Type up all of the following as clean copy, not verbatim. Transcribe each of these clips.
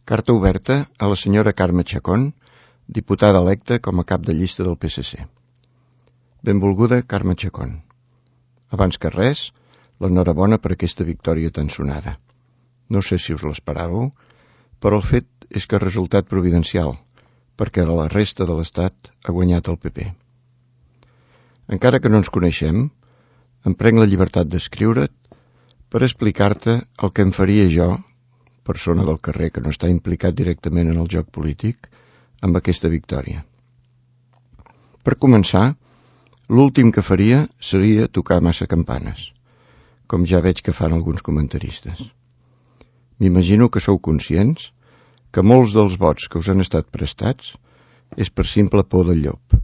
Carta oberta a la senyora Carme Chacón, diputada electa com a cap de llista del PSC. Benvolguda Carme Chacón. Abans que res, l'enhorabona per aquesta victòria tan sonada. No sé si us l'esperàveu, però el fet és que ha resultat providencial, perquè a la resta de l'Estat ha guanyat el PP. Encara que no ens coneixem, em prenc la llibertat d'escriure't per explicar-te el que em faria jo, persona del carrer que no està implicat directament en el joc polític, amb aquesta victòria. Per començar, l'últim que faria seria tocar massa campanes, com ja veig que fan alguns comentaristes. M'imagino que sou conscients que molts dels vots que us han estat prestats és per simple por del llop.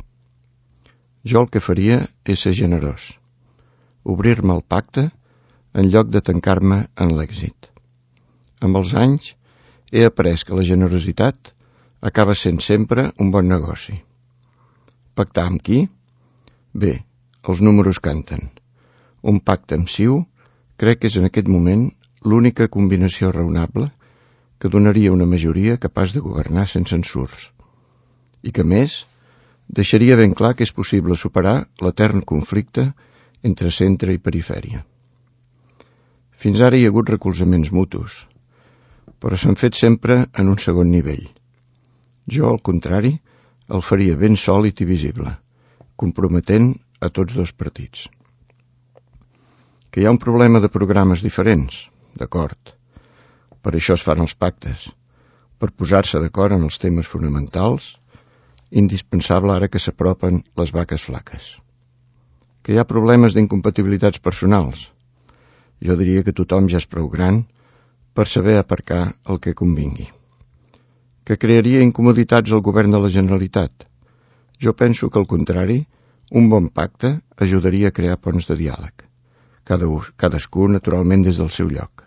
Jo el que faria és ser generós, obrir-me al pacte en lloc de tancar-me en l'èxit. Amb els anys he après que la generositat acaba sent sempre un bon negoci. Pactar amb qui? Bé, els números canten. Un pacte amb CiU crec que és en aquest moment l'única combinació raonable que donaria una majoria capaç de governar sense ensurts i que, més, deixaria ben clar que és possible superar l'etern conflicte entre centre i perifèria. Fins ara hi ha hagut recolzaments mutus, però s'han fet sempre en un segon nivell. Jo, al contrari, el faria ben sòlid i visible, comprometent a tots dos partits. Que hi ha un problema de programes diferents, d'acord. Per això es fan els pactes, per posar-se d'acord en els temes fonamentals, indispensable ara que s'apropen les vaques flaques. Que hi ha problemes d'incompatibilitats personals. Jo diria que tothom ja és prou gran per saber aparcar el que convingui. Que crearia incomoditats al govern de la Generalitat. Jo penso que, al contrari, un bon pacte ajudaria a crear ponts de diàleg. Cadascú, naturalment, des del seu lloc.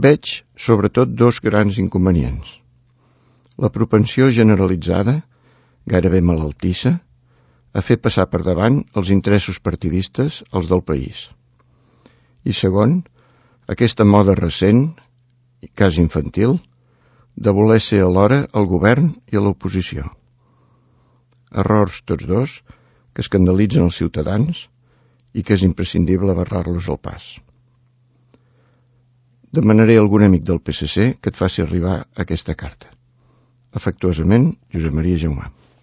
Veig, sobretot, dos grans inconvenients. La propensió generalitzada, gairebé malaltissa, a fer passar per davant els interessos partidistes als del país. I segon, aquesta moda recent, quasi infantil, de voler ser alhora el govern i a l'oposició. Errors tots dos que escandalitzen els ciutadans i que és imprescindible barrar-los al pas. Demanaré a algun amic del PSC que et faci arribar aquesta carta. Afectuosament, Josep Maria Jaumà.